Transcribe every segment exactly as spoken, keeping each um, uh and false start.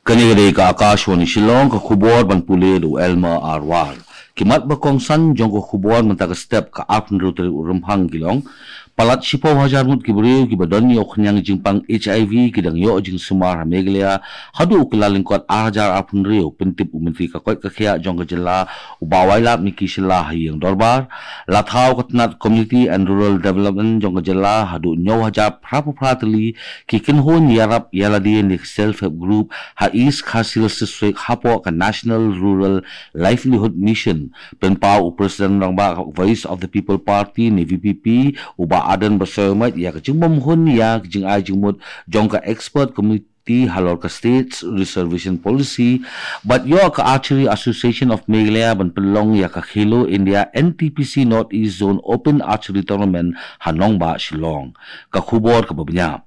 Kane ka dei ka Akashvani Shillong, ka khubor ban pule da u Elmer Arwar. Ki mat ba kongsan jong ka khubor mynta ka step ka arphew hynriew tarik u Rymphang ki long: Palat shiphew hajar ngut ki briew kiba don ïa u khñiang jingpang H I V ki dang ïoh jingsumar ha Meghalaya haduh u Kyllalyngkot ar hajar arphew hynriew, pyntip u Myntri ka koit ka khiah jong ka jylla u Bah Wailadmiki Shylla ha ïing dorbar. La thaw ka tnat Community and Rural Development jong ka jylla haduh hynñiew hajar phra phew phra tylli ki kynhun ïarap ïalade ne ki self help group ha East Khasi Hills District hapoh ka National Rural Livelihood Mission. Pynpaw u President rangbah Voice of the People Party ne V P P, u Bah Ardent Basaiawmoit, ïa ka jingbymhun ïa ka jingai jingmut jong ka expert committee halor ka States Reservation Policy, bad ïoh ka Archery Association of Meghalaya ban pynlong ïa ka Khelo India N T P C North East Zone Open Archery Tournament ha nongbah Shillong. Ka khubor kaba bniah.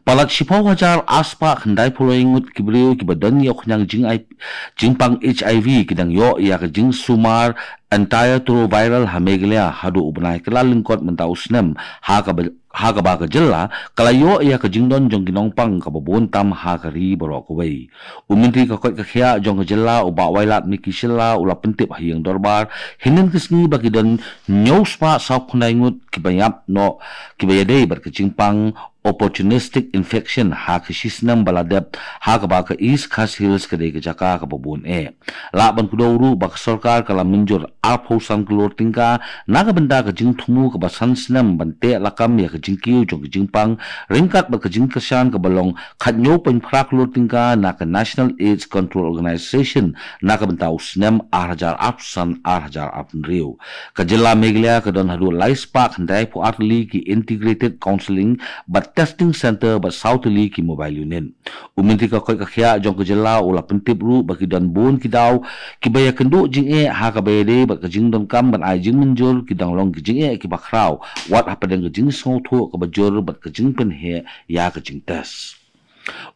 Palat shiphew hajar ar spah khyndai phew lai ngut ki briew kiba don ïa u khñiang jingai jingpang H I V ki dang ïoh ïa ka jingsumar antiretroviral ha Meghalaya haduh u bnai Kyllalyngkot mynta u snem, ha kaba, ha kaba ka jylla ka la ïoh ïa ka jingdon jong ki nongpang kaba bun tam ha ka ri baroh kawei. U Myntri ka koit ka khiah jong ka jylla u Bah Wailadmiki Shylla u la pyntip ha ïing dorbar hynnin ka sngi ba ki don hynñiew spah saw phew khyndai ngut kiba ïap noh kiba ïadei bad ka jingpang opportunistic infection ha ka shi snem ba la dep ha kaba ka East Khasi Hills ka dei ka jaka kaba bun eh. Lah ban kdew ruh ba ka sorkar ka la mynjur arphew san klur tyngka na ka bynta ka jingthmu kaba san snem ban teh lakam ïa ka jingkiew jong ka jingpang ryngkat bad ka jingkyrshan kaba long khathynñiew point phra klur tyngka na ka National AIDS Control Organization na ka bynta u snem ar hajar arphew san ar hajar arphew hynriew. Ka jylla Meghalaya ka don haduh lai spah khyndai phew ar tylli ki Integrated Counselling bad Testing Centre bad saw tylli ki Mobile Unit. U Myntri ka koit ka khiah jong ka jylla u la pyntip ruh ba ki don bun ki daw kiba ïakynduh jingeh ha kaba ïadei bad ka jingdonkam ban ai jingmynjur ki dang long ki jingeh kiba khraw wat hapdeng ka jingsngewthuh kaba jur bad ka jingpynheh ïa ka jingtest.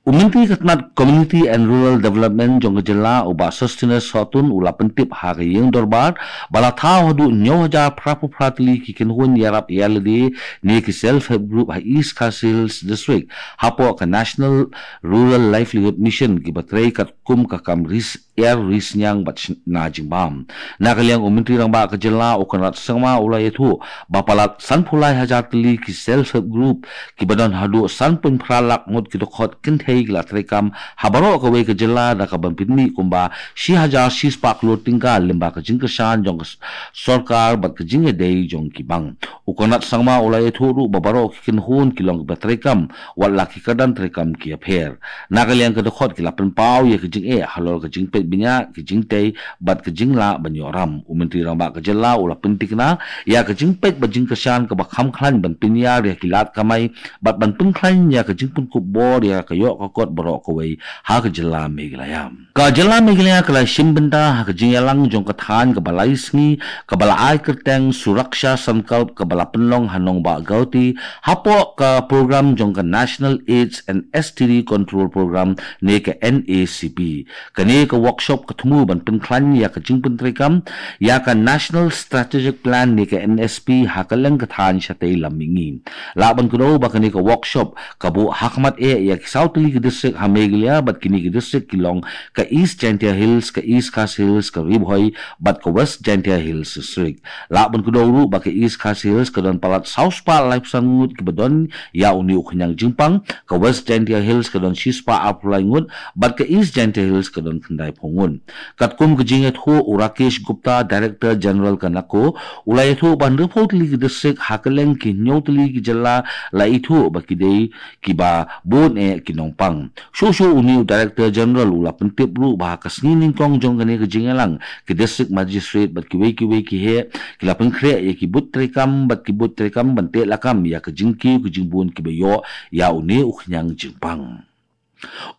U Myntri ka tnat Community and Rural Development jong ka jylla u Bah Sosthenes Sohtun u la pyntip ha ka ïing dorbar ba la thaw haduh hynñiew hajar phra phew phra tylli ki kynhun ïarap ïalade ne ki self help group ha East Khasi Hills District hapoh ka National Rural Livelihood Mission kiba trei katkum ka kam ri syiar ri synñiang bad shna jingbam. Na ka liang u Myntri rangbah ka jylla u Conrad Sangma u la ïathuh ba palat san phew lai hajar tylli ki self help group kiba don haduh san point phra lak ngut ki dkhot kynthei ki la treikam ha baroh kawei ka jylla da kaba pynmih kumba shi hajar shi spah klur tyngka lyngba ka jingkyrshan jong ka s-, sorkar bad ka jingïadei jong ki bank. U Conrad Sangma u la ïathuh ruh ba baroh ki kynhun ki long kiba treikam wat la ki kyrdan treikam ki ïapher. Na ka liang ka dkhot ki la pynpaw ïa ka jingeh halor ka jingpeit bniah, ka jingtei bad ka jinglah ban ïoh ram. U Myntri rangbah ka jylla u la pynthikna ïa ka jingpeit bad jingkyrshan kaba kham khlaiñ ban pynïar ïa ki lad kamai bad ban pynkhlaiñ ïa ka jingpynkup bor ïa ka ïoh ka kot baroh kawei ha ka jylla Meghalaya. Ka jylla Meghalaya ka la shim bynta ha ka jingïalang jong ka thaiñ kaba lai sngi kaba la ai kyrteng Suraksha Sankalp kaba la pynlong ha nongbah Guwahati hapoh ka program jong ka National AIDS and S T D Control Program ne ka N A C P. Kane ka workshop ka thmu ban pynkhlaiñ ïa ka jingpyntreikam ïa ka National Strategic Plan ne ka N S P ha kylleng ka thaiñ shatei lam mihngi. Lah ban kdew ba kane ka workshop ka buh ha khmat eh ïa ki saw tylli ki district ha Meghalaya bad kine ki district ki long ka East Jaintia Hills, ka East Khasi Hills, ka Ri Bhoi bad ka West Jaintia Hills District. Lah ban kdew ruh ba ka East Khasi Hills ka don palat saw spah laiphew san ngut kiba don ïa une u khñiang jingpang, ka West Jaintia Hills ka don shi spah arphew lai ngut bad ka East Jaintia Hills ka don khyndai phew ngut. Katkum ka jingïathuh u Rakesh Gupta, Director General ka NACO, u la ïathuh ba hynriewphew tylli ki district ha kylleng ki hynñiew tylli ki jylla la ithuh ba ki dei kiba bun eh ki nongpang. Shuh shuh une u Director General u la pyntip ruh ba ha ka sngi nyngkong jong kane ka jingïalang, ki District Magistrate bad kiwei kiwei ki heh ki la pynkhreh ïa ki booth treikam bad ki booth treikam ban teh lakam ïa ka jingkiew ka jingbun kiba ïoh ïa une u khñiang jingpang.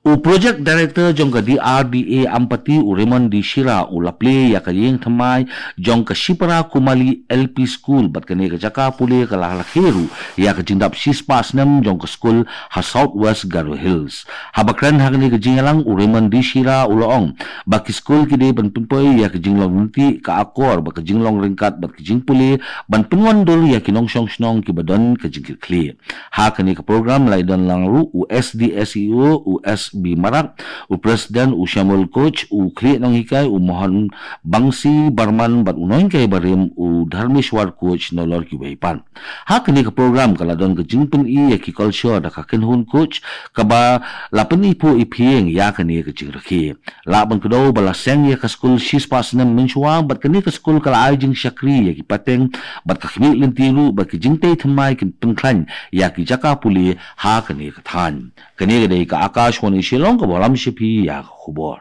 U Project Director jong ka D R D A Ampati, u Raymond D Shira, u la plie ïa ka ïing thymmai jong ka Shipara Kumali L P School bad kane ka jaka pule ka la rakhe ruh ïa ka jingdap shispah snem jong ka skul ha South West Garo Hills. Haba kren ha kane ka jingïalang, u Raymond D Shira u la ong ba ki skul ki dei ban pynpoi ïa ka jinglong lynti, ka akor bad ka jinglong ryngkat bad ka jingpule ban pynwandur ïa ki nongshong shnong kiba don ka jingkitkhlieh. Ha kane ka program la ïadon lang ruh u S D S E O u S B Marak, u President u Shamuel Koch, u Khlieh Nonghikai u Mohan Bangsi Barman bad u Nonghikai Barim u Dharmeshwar Koch nalor kiwei pat. Ha kane ka program ka la don ka jingpyni ïa ki culture da ka kynhun Koch kaba la pyni phuh i phieng ïa kane ka jingrakhe. Lah ban kdew ba la seng ïa ka skul shispah snem mynshuwa bad kane ka skul ka la ai jingshakri ïa ki pateng bad ka khmih lynti ruh ba ki jingtei thymmai kin pynkhlaiñ ïa ki jaka pule ha kane ka thaiñ. Kane ka dei ka Akashvani Shillong kaba lam sha phi ïa ka khubor.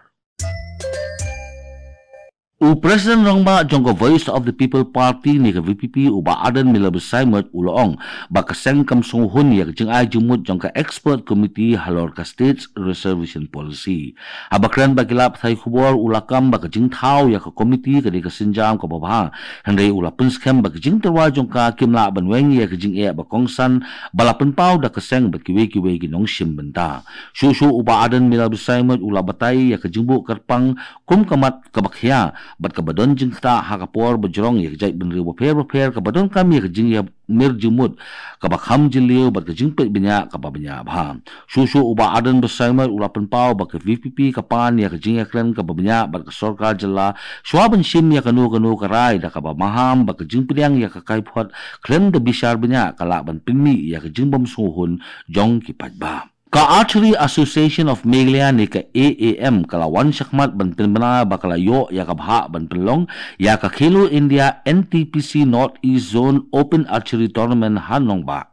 U President Rangbah jong ka Voice of the People Party ne ka V P P u Bah Ardent Miller Basaiawmoit u la ong ba ka seng kam sngewhun ïa ka jingai jingmut jong ka Expert Committee halor ka States Reservation Policy. Haba kren bad ki lad pathai khubor u la kam ba ka jingthaw ïa ka committee ka dei ka sienjam kaba bha, hynrei u la pynskhem ba ka jingtyrwa jong ka kim lah ban weng ïa ka jingeh ba kongsan ba la pynpaw da ka seng bad kiwei kiwei ki nongshim bynta. Shuh shuh u Bah Ardent Miller Basaiawmoit u la batai ïa ka jingbuh kyrpang kum ka mat kaba khia bad kaba don jingktah ha ka por ba jrong ïa ka jaitbynriew bapher bapher kaba donkam ïa ka jingïa mir jingmut kaba kham jylliew bad ka jingpeit bniah kaba bniah bha. Shuh shuh u Bah Ardent Basaiawmoit u la pynpaw ba ka V P P ka pan ïa ka jingïakren kaba bniah bad ka sorkar jylla shuwa ban shim ïa kano kano ka rai da kaba maham ba ka jingpdiang ïa ka kaiphod khlem da bishar bniah ka lah ban pynmih ïa ka jingbym sngewhun jong ki paidbah. Ka Archery Association of Meghalaya ne ka A A M ka la wan shakhmat ban pynbna ba ka la ïoh ïa ka bhah ban pynlong ïa ka Khelo India N T P C North East Zone Open Archery Tournament ha Nongbah.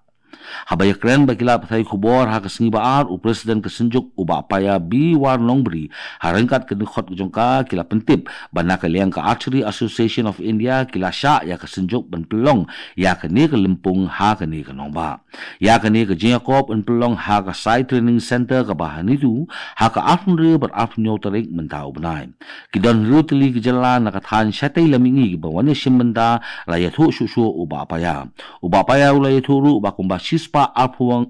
Haba ïakren bad ki lad pathai khubor ha ka sngi ba ar u President ka Synjuk u Bah Paya B War Nongbri ha ryngkat ka dkhot jong ka ki la pyntip ba na ka liang ka Archery Association of India ki la shah ïa ka Synjuk ban pynlong ïa kane ka lympung ha kane ka nongbah. Ïa kane ka jingïakop yn pynlong ha ka Sai Training Center kaba ha Nitu ha ka arphew hynriew bad arphew hynñiew tarik mynta u bnai. Ki don hynriew tylli ki jylla na ka thaiñ shatei lam mihngi kiba wan ïashim bynta, la ïathuh shuh shuh u Bah Paya. U Bah Paya u la ïathuh ruh ba kumba shispah arphew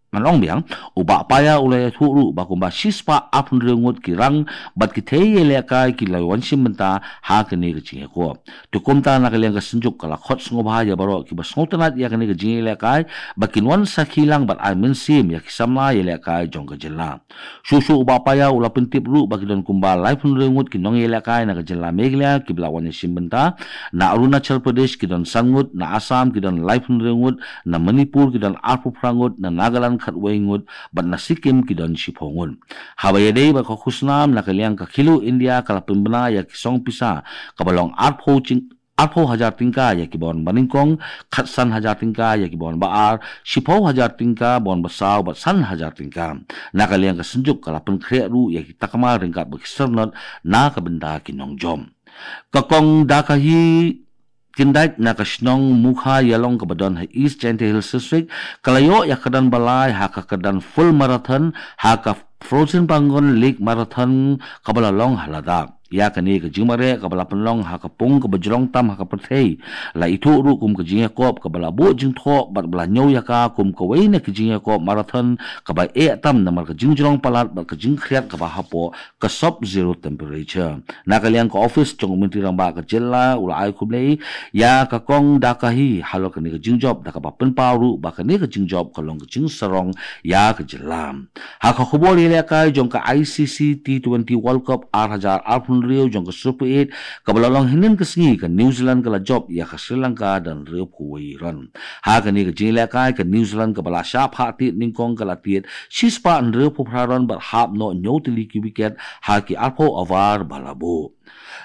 ngan ong biang, u Bah Paya u la ïathuh ruh ba kumba shispah arphew hynriew ngut ki rang bad ki thei ïalehkai ki la wan shim bynta ha kane ka jingïakop. Te kumta na ka liang ka Synjuk ka la khot sngewbha ïa baroh kiba sngewtynnat ïa kane ka jingïalehkai ba kin wan sakhi lang bad ai mynsiem ïa ki samla ïalehkai jong ka jylla. Shuh shuh u Bah Paya u la pyntip ruh ba ki don kumba laiphew hynriew ngut ki nongïalehkai na ka jylla Meghalaya kiba la wan ïashim bynta. Na Arunachal Pradesh ki don san ngut, na Assam ki don laiphew hynriew ngut, na Manipur ki don arphew phra ngut, na Nagaland khatwei ngut, bad na Sikkim ki don shiphew ngut. Haba ïadei bad ka khusnam na ka liang ka Khelo India ka la pynbna ïa ki song pisa kaba long arphew jing arphew hajar tyngka ïa kiba wan banyngkong, khatsan hajar tyngka ïa kiba wan ba ar, shiphew hajar tyngka ba wan ba saw bad san hajar tyngka. Na ka liang ka Synjuk ka la pynkhreh ruh ïa ki takma ryngkat bad ki syrnod na ka bynta ki nongjop. Ka Kong Dakahi Kindait na ka shnong Mukha Ïalong kaba don ha East Jaintia Hills District ka la ïoh ïa ka kyrdan ba lai ha ka kyrdan Full Marathon ha ka Frozenpangong Lake Marathon kaba la long ha Ladakh. Ïa kane ka jingmareh kaba la pynlong ha ka pung kaba jrong tam ha ka pyrthei la ithuh ruh kum ka jingïakop kaba la buh jingthoh bad ba la ñiew ïa ka kum kawei na ka jingïakop marathon kaba eh tam namar ka jingjrong palat bad ka jingkhriat kaba hapoh ka sub zero temperature. Na ka liang ka office jong u Myntri Rangbah ka jylla u la ai khublei ïa ka Kong Dakahi halor kane ka jingjop da kaba pynpaw ruh ba kane ka jingjop ka long ka jingsarong ïa ka jylla. Ha ka khubor ïalehkai jong ka I C C T twenty World Cup ar hajar arphew hynriew jong ka Super Eight kaba la long hynnin ka sngi, ka New Zealand ka la jop ïa ka Sri Lanka da hynriewphew wei run. Ha kane ka jingïalehkai ka New Zealand kaba la shah phah tied nyngkong ka la tied shispah hynriewphew phra run bad hap noh hynñiew tylli ki wicket ha ki arphew over ba la buh.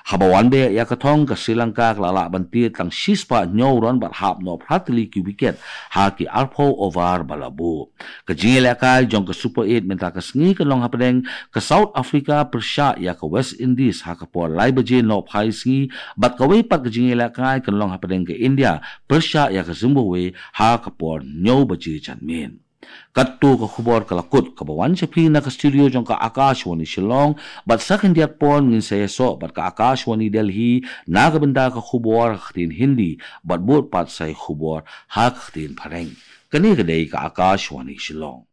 Haba wan beh ïa ka thong ka Sri Lanka ka la lah ban tied tang shispah hynñiew run bad hap noh phra tylli ki wicket ha ki arphew over ba la buh. Ka jingïalehkai jong ka Super Eight mynta ka sngi kan long hapdeng ka South Africa pyrshah ïa ka West Indies ha ka por lai baje nohphai sngi bad kawei pat ka jingïalehkai kan long hapdeng ka India pyrshah ïa ka Zimbabwe ha ka por hynñiew baje janmiet. Katto ka khubor ka la kut kaba wan sha phi na ka studio jong ka Akashvani Shillong bad sa khyndiat por ngin sa ïasoh bad ka Akashvani Delhi na ka bynta ka khubor ha ka ktien Hindi bad bud pat sa ïa khubor ha ka ktien Phareng. Kane ka dei ka Akashvani Shillong.